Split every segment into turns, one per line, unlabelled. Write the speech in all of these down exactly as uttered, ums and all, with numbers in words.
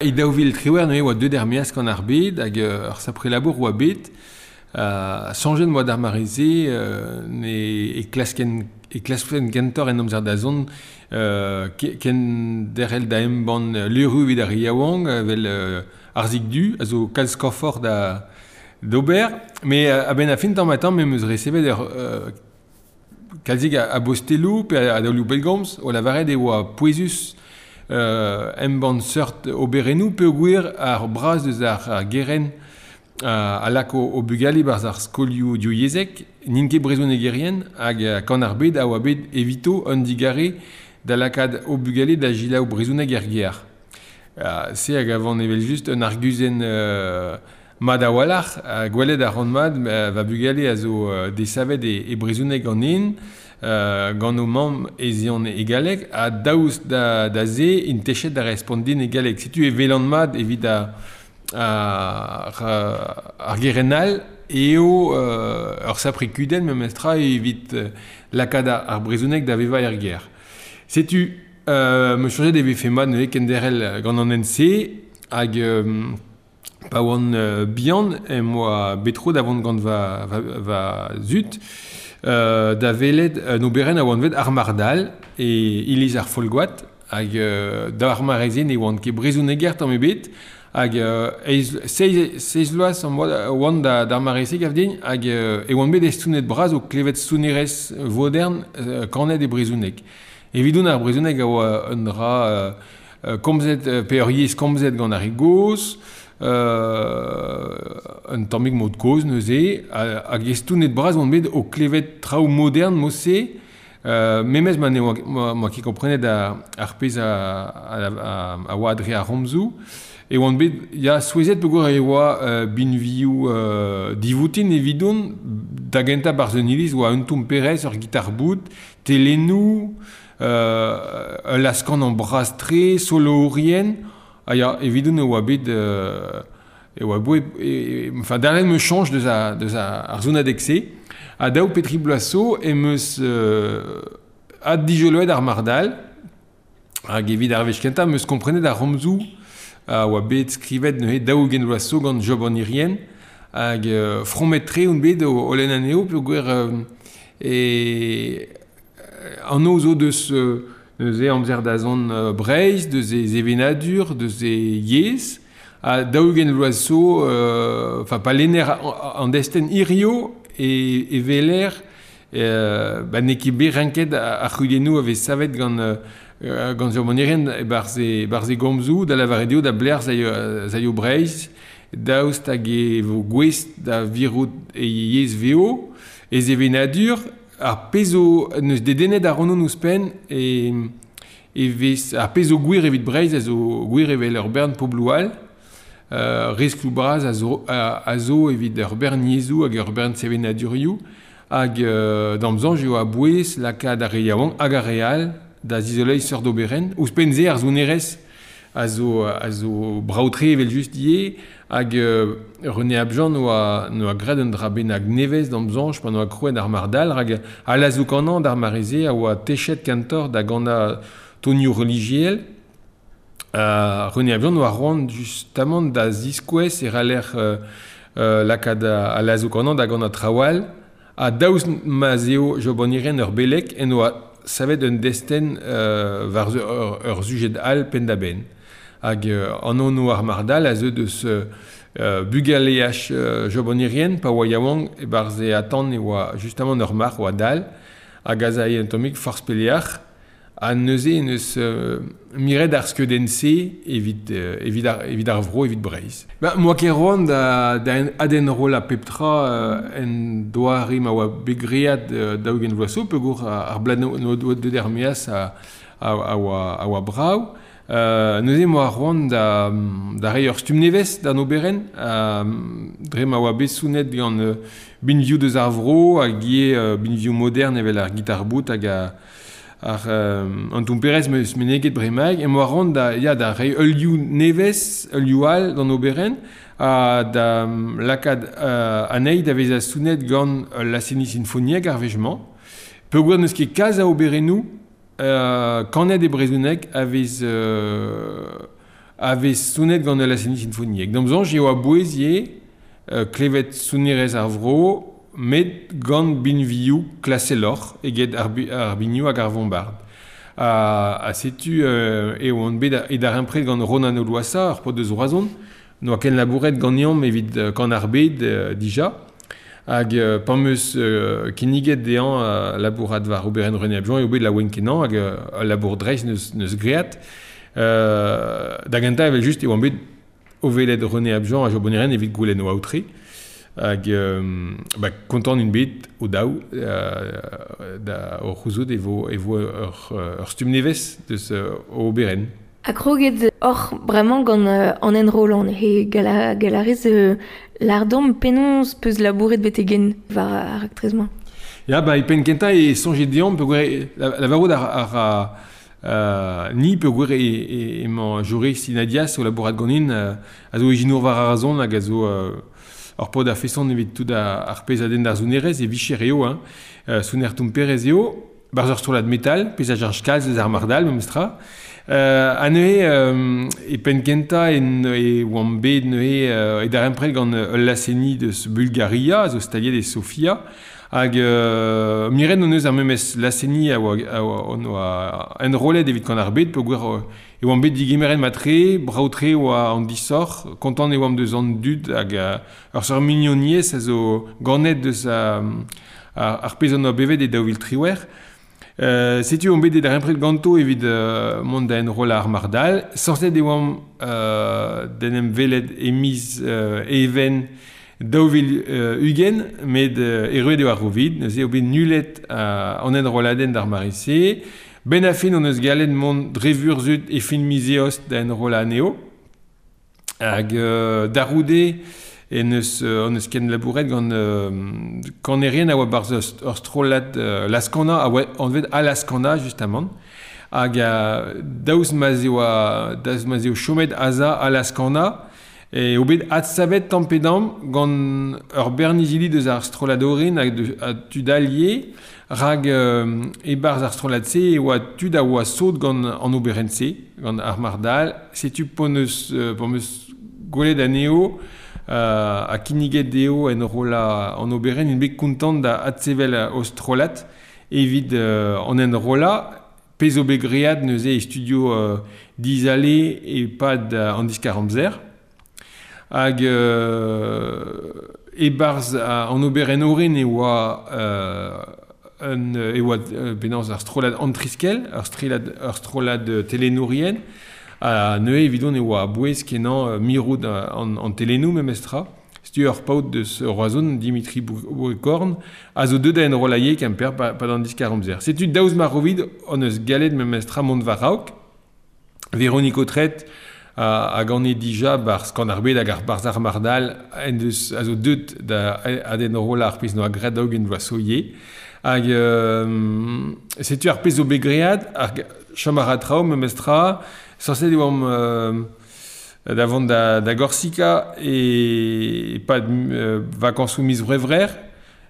E daou vil triwec'h neuze oa deuet er-maez gant ar bed hag ur sapre labour oa bet. Uh, soñjet oa d'ar mare-se euh, ne e klasken e klaskfen kentoc'h en amzer da zont euh, ken derc'hel da embann levrioù evit ar re yaouank evel euh, Arzig Du a zo kalz korfoc'h da d'ober. Mais euh, a-benn ar fin tamm-ha-tamm em eus resevet ur euh, kalzik a, a bosteloù pe a, a daolioù pellgomz o lavaret e oa pouezus Euh, embann seurt oberennoù peogwir ar braz deus ar, ar gerent uh, a lak o, o bugale barzh ar skolioù divyezhek, n'int ket brezhonegerien hag kan ar bed a oa bet evito un digare da lakaat o bugale da selaou brezhoneg er gêr. Uh, se hag avant evel-just un arguzenn uh, mat a-walc'h, uh, gwelet a ran mat, uh, va bugale a zo uh, desavet e, e brezhoneg ganin, Uh, gant o mamm ez eont e galleg, ha daoust da, da se int techet da respont din e galleg. Setu e welan mat evit ar, ar, ar gerent all eo uh, ur sapre kudenn memestra evit uh, lakaat ar brezhoneg da vevañ er gêr. Setu uh, me soñjet e vefe mat neuze kenderc'hel gant an hent-se hag um, pa oan uh, bihan em boa bet tro da vont gant va, va, va zud Euh, da welet un oberenn a oan vet ar Mardal e iliz ar Folgoad hag euh, da ar mare-se ne oan ket brezhoneger tamm ebet hag euh, eiz, seiz, seiz vloaz am boa oan da, d'ar mare-se gav din hag euh, e oan bet estonet bras o klevet sonerezh vodern euh, kanet e brezhoneg. Evidon ar brezhoneg a oa un dra euh, komzet, pe ur yezh komzet gant ar re gozh, Euh, un tammig mod kozh neuze, hag estonet bras oan bet o klevet traoù modern mod-se, euh, memes ma ne oa, ma ket komprenet ar, ar pezh a, a, a, a oa dre ar c'homzoù, e oan bet ya souezhet peogwir e oa euh, binvioù euh, divoutin evidon, da gentañ barzh un iliz oa un tomperez, ur gitar-boud, telennoù, euh, ul laz-kanañ bras-tre, solourien. Ah ya, evidon e oa bet euh, e oa boe, e, enfin derc'hel me soñj deus a, deus a, ar sonadeg-se. Ha daou pe tri bloaz zo em eus euh, addijoloet ar Mardal hag evit ar wech kentañ em eus komprenet ar c'homzoù a oa bet skrivet neuze daou-ugent vloaz zo gant Job an Irien hag euh, fromet-tre on bet o, o lenn anezho peogwir euh, e anv zo deus euh, neuze amzer da zont uh, Breizh, deus e sevenadur, deus e yezh, ha daou-ugent vloaz zo, enfin pa lenner an destenn hirio e, e weler euh, ba n'eo ket bet renket ar c'hudennoù a vez savet gant, euh, gant Job an Irien e-barzh e, e-barzh e gomzoù, da lavaret eo da blec'h zaio Breizh, daoust hag e vo gouest da virout e yezh veo, e sevenadur, ar pezh zo neus dedennet ar ronon ouzhpenn e, e vez ar pezh zo gwir evit Breizh a zo gwir evel ur bern pobloù all, euh, riskloù bras a zo, a, a zo evit ur bern yezhoù hag ur bern sevenadurioù hag euh, d'am soñj eo a-bouez lakaat ar re yaouank hag ar re all da zizoleiñ seurt oberenn. Ouzhpenn se ar sonerezh a zo, a zo brav-tre evel-just ivez hag euh, René Abjean noa, noa graet un dra bennak nevez d'am soñj pa noa krouet ar Mardal hag a lazoù-kanañ d'ar mare-se a oa techet kentoc'h da ganañ tonioù relijiel. Uh, René Abjean noa c'hoant justamant da ziskouez e c'haller euh, euh, lakaat a lazoù-kanañ da ganañ traoù all ha daoust ma'z eo Job an Irien ur beleg en oa savet un destenn euh, war ur, ur sujed all penn-da-benn. Hag euh, an anv ar Mardal a zeu deus euh, bugaleaj euh, Job an Irien pa oa yaouank e-barzh e atant e oa justamant ur marc'h oa dall hag az ae un tammig forzh peleac'h ha neuze neus euh, miret ar skeudenn-se evit, euh, evit, ar, evit ar vro, evit Breizh. Ba, moa ket c'hoant da, da adenrollañ pep tra euh, en doare ma oa bet graet euh, daou-ugent vloaz zo peogwir ar blad no deuet er-maez a, a, a, oa, a oa brav. Euh, neuze moa c'hoant da, da reiñ ur stumm nevez d'an oberenn, euh, dre ma oa bet sonet gant euh, binvioù deus ar vro hag ivez euh, binvioù modern evel ar gitar-boud hag a, ar euh, an tomperez meus meneget bremaik, em boa c'hoant da, ya, da reiñ ul liv nevez, ul liv all d'an oberenn, ha da lakaat euh, anezhi da vezañ sonet gant ul laz-seniñ sinfoniek ar wech-mañ. Peogwir n'eus ket kalz a oberennoù euh, kanet e brezhoneg a vez euh, a vez sonet gant ul laz-seniñ sinfoniek. D'am soñj eo a-bouez ivez euh, klevet sonerezh ar vro, met gant binvioù klaseloc'h eget ar, bi, ar binioù hag ar vombard. Ha, ha setu euh, eo on bet e darempred gant Ronan Oloassa, ar paotr deus Roazhon, n'oa ken labouret ganeomp evit euh, kan ar bed euh, dija, hag euh, pa'm eus euh, kinniget dezhañ euh, labourat war oberenn René Abjean eo bet laouen kenañ hag euh, ul labour dreist neus, neus great. Euh, da gentañ evel just e oan bet o welet René Abjean ha Jo Bonnieren evit goulenn o aotre. Hag euh, ba, kontant int bet o daou euh, da o c'houzout e vo, e vo ur, ur stumm nevez deus euh, o oberenn.
Ha kroget oc'h bremañ gant euh, an enrollan he gala, galarez euh, lardom penaos peus labouret betegen war ar raktres-mañ.
Ya, ba, e penn kentañ e soñjet deomp peogwir la, lavarout ar, ar, ar euh, ni peogwir e, e, emañ Joris Inadias o labourat ganin euh, a zo ijinour war ar azon hag a zo euh, ur paotr a-feson evit tout ar, ar pezh a denn d'ar sonerezh e vicher eo, hein. Euh, soner tomperez eo, barzh ur strollad metal, pezh a cheñch kalz eus ar mardal memestra. Euh, ha neuze euh, e penn kentañ en, e oamp bet neuze euh, e darempred gant ul laz-seniñ deus Bulgaria, a zo staliet e Sofia, hag euh, miret hon eus ar memes laz-seniñ a oa, a oa, on oa enrollet evit kan ar bed, peogwir e oamp bet digemeret matre, brav-tre oa an disoc'h, kontant e oamp deus an dud hag uh, ur seurt mignoniezh a zo ganet deus a, ar, ar pezh an oa bevet e daou vil triwec'h. Euh, setu on bet e darempred ganto evit euh, mont da enrollañ ar mardal. Sañset e oamp euh, d'en em welet e miz euh, even daou vil euh, ugent, met euh, erruet eo ar Covid, neuze eo bet nullet euh, an enrolladenn d'ar mare-se. Ben a fin on eus gallet mont dre vurzhud e fin miz eost da enrollañ anezho. Hag euh, daroude en eus, euh, on eus ken labouret gant euh, kanerien a oa barzh ur strollad euh, Laskana, a oa anvet Alaskana justement. Hag euh, daoust ma'z eo a, daoust ma'z eo chomet aza Alaskana, e eo bet adsavet tamm pe damm gant ur bern izili deus ar strollad orin hag de, a tud allié, rak euh, e-barzh ar strollad-se e oa tud a oa sot gant an oberenn-se, gant ar mardal. Setu p'hon eus, euh, p'hon eus gwelet anezho, euh, ha kinniget dezho enrollañ an oberenn, int bet kontant da adsevel o strollad evit euh, an enrollañ, pezh zo bet great neuze e studio euh, Dizale e-pad euh, an diskar-amzer. Hag euh, e-barzh an oberenn orin e oa euh, un, e oa euh, penaos ar strollad Antriskel, ur strollad, ur strollad telenourien, ha neuze evidon e oa a-bouez kenañ euh, mirout an, an telenoù memestra. Setu ur paotr deus Roazhon, Dimitri Bourricorn, a zo deuet da enrollañ Kemper pa, pa d'an diskar-amzer. Setu daoust ma Covid hon eus gallet memestra mont war-raok. Véronique Autret a, a gane dija barzh kan ar bed hag ar barzh ar mardal en deus a zo deuet da ad enrollañ ar pezh noa graet daou-ugent vloaz zo ivez. Hag euh, setu ar pezh zo bet great, ar chom a ra traoù memestra, sañset e oamp euh, da vont da, da Gorsika e, e pad euh, vakansoù miz C'hwevrer,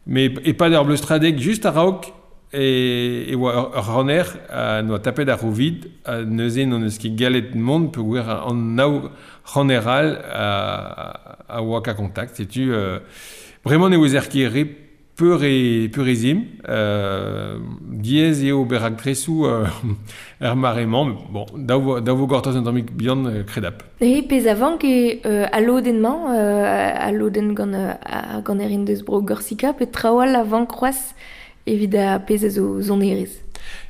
met e pad ur bleustradeg just a-raok e, e oa ur, ur ranner a noa tapet ar Covid, ha neuze n'hon eus ket gallet mont peogwir an nav ranner all a, a oa ka kontakt. Setu euh, bremañ ne ouezer ket re peur e, peur ez imp, euh, diaes eo ober raktresoù euh, er mare-mañ, bon, daou, daou vo gortoz un tammig bihan euh, kredap.
E pezh a vank eo euh, al lodenn-mañ, euh, al lodenn gant euh, ar ganerien deus bro Gorsika, pe traoù all a vank c'hoazh evit ar pezh a zo sonerezh.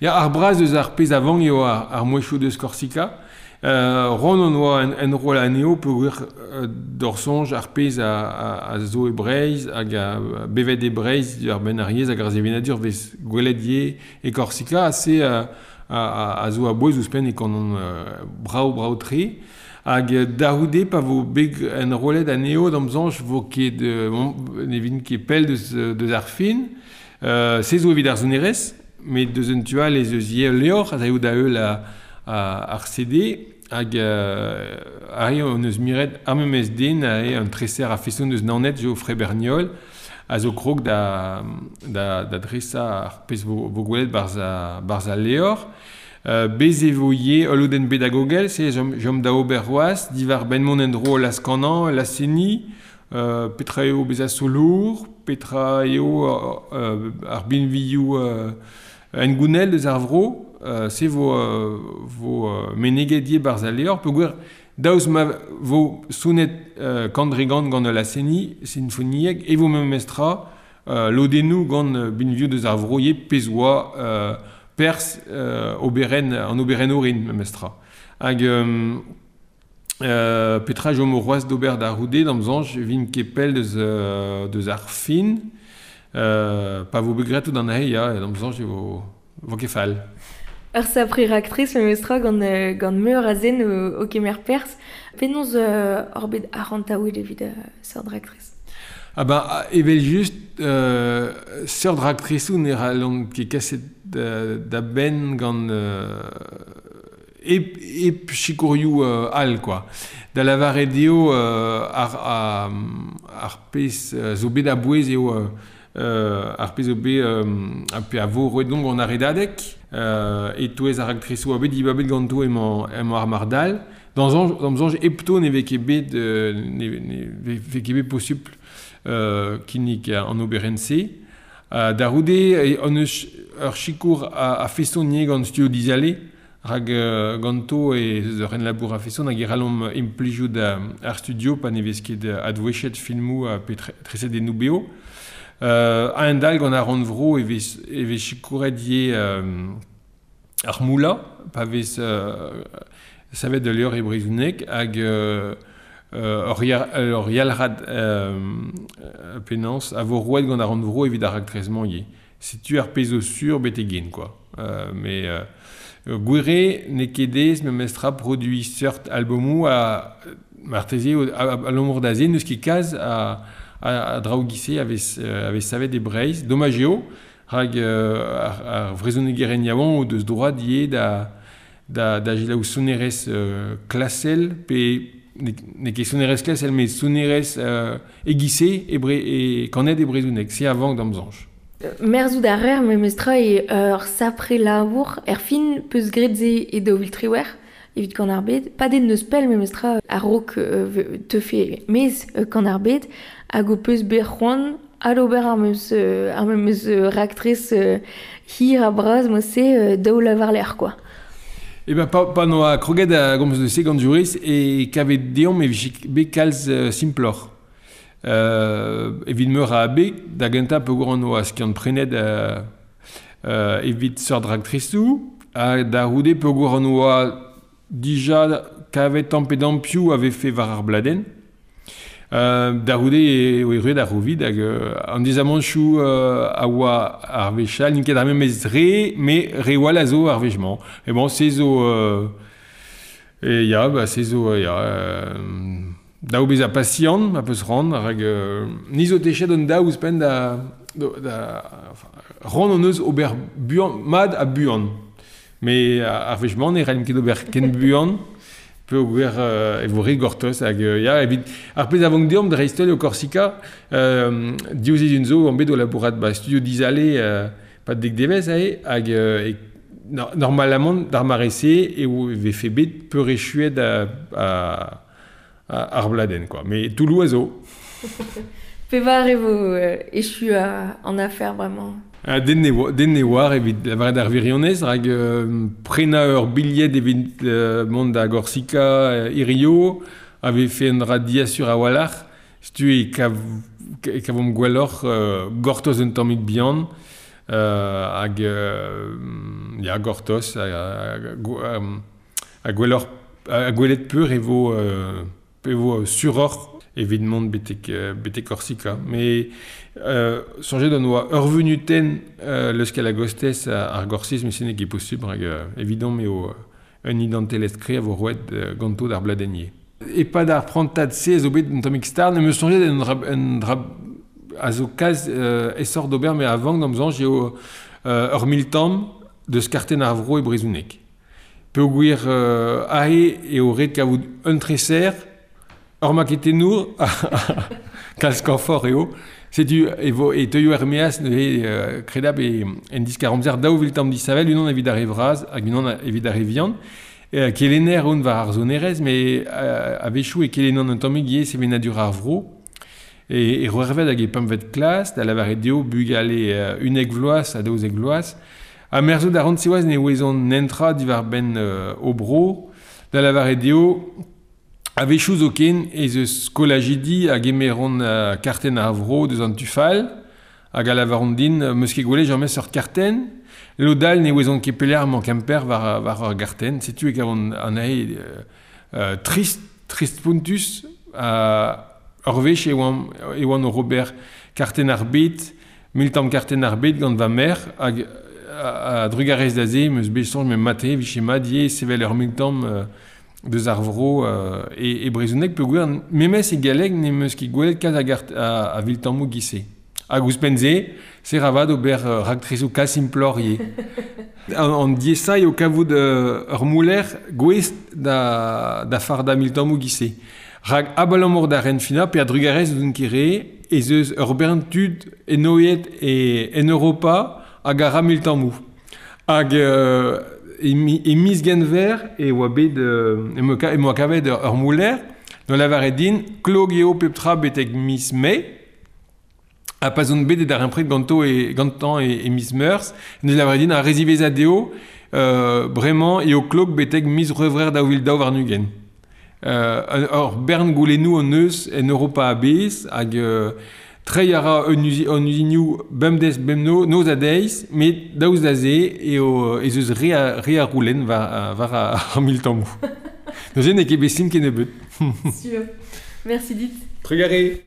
Ya, ar braz eus ar pezh a vank eo ar, ar mouezhioù deus Korsika. Euh, Ron on oa en, enroll anezho peogwir euh, d'hor soñj ar pezh a, a, a zo e Breizh hag a bevet e Breizh ar benn ar yezh hag ar sevenadur vez gwelet ivez e Korsika a se a, a, a zo a-bouez ouzhpenn e kanon euh, brav brav-tre. Hag da c'houde pa vo bet enrollet anezho d'am soñj vo ket euh, bon, ne vin ket pell deus, deus ar fin. Euh, se zo evit ar sonerezh, met deus un tu all ez eus ivez ul levr a zaio da heul a, a, ar C D, hag euh, arri hon eus miret ar memes den a eo un treser a feson deus Naoned, Geoffrey Berniol, a zo krog da, da, da dresañ ar pezh vo, vo gwelet barzh a, barzh al levr. Euh, bez e vo ivez ul lodenn pedagogel, se jom, jom da ober c'hoazh, diwar benn mont en-dro laz-kanañ, laz-seniñ, euh, petra eo bezañ solour, petra eo euh, ar binvioù euh, engounel deus ar vro, euh, se vo, euh, vo euh, meneget ivez barzh al levr, peogwir daoust ma vo sonet euh, kant-dre-gant gant laz-seniñ, sinfoniek, e vo memestra euh, lodennoù gant binvioù deus ar vro ivez pezh oa euh, pers euh, oberen, an oberen orin memestra. Hag euh, euh, petra jom o c'hoazh d'ober da c'houde, d'am soñj vin ket pell deus, euh, deus ar fin, euh, pa vo bet graet tout an aze, ya, d'am soñj e vo, vo ket fall.
Ur sapre raktres memestra gant, euh, gant meur a zen o, o kemer perzh. Penaos euh, hor bet arc'hantaouet evit euh, seurt raktres?
Ah ben, evel just, euh, seurt raktresoù ne c'hallont ket kaset da, da benn gant euh, hep, hep sikourioù euh, all, quoi. Da lavaret eo euh, ar, ar, ar pezh euh, zo bet a-bouez eo euh, ar pezh zo bet euh, a pe a vo roet donc gant ar redadeg, euh, e-touez ar raktresoù a bet dibabet ganto emañ, emañ ar mardal. Dans soñj, d'am soñj hepto ne vez ket bet, euh, ne, ne vez ket bet posupl euh, kinnig an oberenn-se. Euh, da c'houde, e, on eus ur sikour a, a feson ivez gant Studio Dizale, rak euh, ganto e eus ur labour a feson hag e c'hallomp implijout ar studio pa ne vez ket advouechet filmoù ha pe tre, tresadennoù beo. Euh, a-hend-all gant ar rannvro e vez, e vez sikouret ivez euh, ar moulañ, pa vez euh, savet da levr e brezhoneg hag euh, euh, ur yar, ur yalc'had euh, penaos a vo roet gant ar rannvro evit ar raktres-mañ ivez. Setu ar pezh zo sur betek gen, quoi. Euh, mais euh, gwir n'eo ket aes memestra produiñ seurt albomoù a marteze a, a, abalamour da se n'eus ket kalz a, a, a draoù giz-se a vez, a vez savet e Breizh. Domaj eo, rak euh, ar, ar vrezhonegerien yaouank o deus droad ivez da, da, da selaou sonerezh euh, klasel pe n'eo ket sonerezh klasel, met sonerezh euh, e-giz-se e, bre, e kanet e brezhoneg, se a vank d'am soñj.
Merzout a reer memestra e ur sapre labour er fin peus graet se e daou vil triwec'h evit Kan ar Bed. Pa den neus pell memestra a-raok euh, teufe mez euh, Kan ar Bed hag o peus bet c'hoant adober ar memes, euh, ar memes raktres euh, hir ha bras mod-se euh, daou lavar lec'h, quoi.
E ben, pa, pa noa kroget a gomz de se gant Joris e kavet deomp e vije bet kalz euh, simploc'h. Euh, evit meur a abeg, da gentañ peogwir an oa skiant prenet euh, euh, evit seurt raktresoù, ha da c'houde peogwir an oa dija kavet tamm pe damm piv a vefe war ar bladenn. Euh, da c'houde e oa erruet ar Covid hag euh, an dizamanchoù euh, a oa ar wech all, n'int ket ar memes re, met re wall a zo ar wech-mañ. E bon, se zo... Euh, e ya, ba, se zo, ya... Euh, daou bezañ pasiant, a peus ran, rak euh, ni zo techet an daou ouzhpenn da, da, da enfin, ran hon eus ober buan, mat ha buan. Mais ar wech-mañ ne c'hallimp ket ober ken buan, peogwir euh, e vo re gortoz hag euh, ya, evit ar pezh a vank deomp dreist-holl eo Korsika, euh, div sizhun zo on bet o labourat ba Studio Dizale euh, pad dek devezh aze, hag euh, e, no, normalamant d'ar mare-se eo vefe bet peurechuet a, a, a ar bladenn, quoi. Mais Toulouse a zo.
Pevar e vo euh, echu a, an afer bremañ.
Ah, den ne oa, den ne oar evit lavaret ar wirionez, rak euh, prenañ ur bilhed evit euh, mont da Gorsika euh, hirio, a vefe un dra diasur a-walc'h, setu e kav, e kavomp gwelloc'h euh, gortoz un tammig bihan, euh, hag euh, ya, gortoz, hag, hag, hag gwelloc'h, hag gwelet peur e vo, euh, pe vo suroc'h evit mont betek, euh, betek Korsika. Mais euh, soñjet on oa ur vunutenn euh, leuskel a-gostez ar Gorsiz, met se n'eo ket posupl, rak euh, evidemment eo un identelezh kreñv a vo roet euh, ganto d'ar bladenn ivez. E-pad ar prantad-se a zo bet un tammig start, ne me soñjet un dra, un dra a zo kalz euh, aesoc'h d'ober, met a vank d'am soñj eo euh, ur miltamm deus kartenn ar vro e brezhoneg. Peogwir euh, aze eo ret kavout un treser Ur maketenour, kalz kañfort eo, setu e vo e teuio er meaz neuze euh, kredab e en diskar amzer daou vil tamm disavel, unan evit ar re vras hag unan evit ar re vihan. E, kelenner on war ar sonerezh, met euh, a-wechoù e kelennan un tammig ivez sevenadur ar vro. E, e c'hwec'hvet hag e pempvet klas, da lavaret dezho bugale euh, unnek vloaz ha daouzek vloaz. Ha merzout a ran siwazh ne ouezont nentra diwar-benn euh, o bro, da lavaret dezho a-wechoù zoken ez eus skolajidi a gemeront uh, kartenn ar vro deus an tu fall, hag a lavaront din euh, meus ket gwelet james ur kartenn, lod all ne ouezont ket pelec'h emañ Kemper war, war ur gartenn, setu e kavont anezhe euh, euh, trist, trist spontus, uh, ur wech e oan, e oan o ober kartenn ar bed, mil tamm kartenn ar bed gant va merc'h, hag a, a drugarez da se, meus bet soñj me mate, vije mat ivez sevel ur mil tamm euh, deus ar vro euh, e, e brezhoneg peogwir memes e galleg ne meus ket gwelet kalz a, gart, a, a viltammoù giz-se. Hag ouzhpenn-se, se ra vat ober euh, raktresoù kalz simploc'h ivez. An, an diaesañ eo kavout euh, ur mouler gouest da, da fardañ miltammoù giz-se. Rak abalamour da renfinañ pe a-drugarez d'ouzon ket re ez eus ur bern tud enoeet e, en Europa hag a ra miltammoù. Hag euh, e, mi, e miz Genver e oa bet euh, e mo e moa kavet ur, ur mouler no lavaret din klok eo pep tra betek miz Mae ha pa zon bet e darempred ganto e gantañ e, e miz Meurzh neus lavaret din ar re ziwezhañ dezho euh, bremañ eo klok betek miz C'hwevrer daou vil daou warn-ugent. Euh, ur bern goulennoù hon eus en Europa a-bezh hag euh, treiñ a ra un uzi, un uzinioù bemdez bemno noz ha deiz, met daoust da se eo ez eus re a, re a roulenn war, war ar miltammoù. Neuze n'eo ket bet simpl kennebeut.
Sûr. Merci dit.
Trugarez.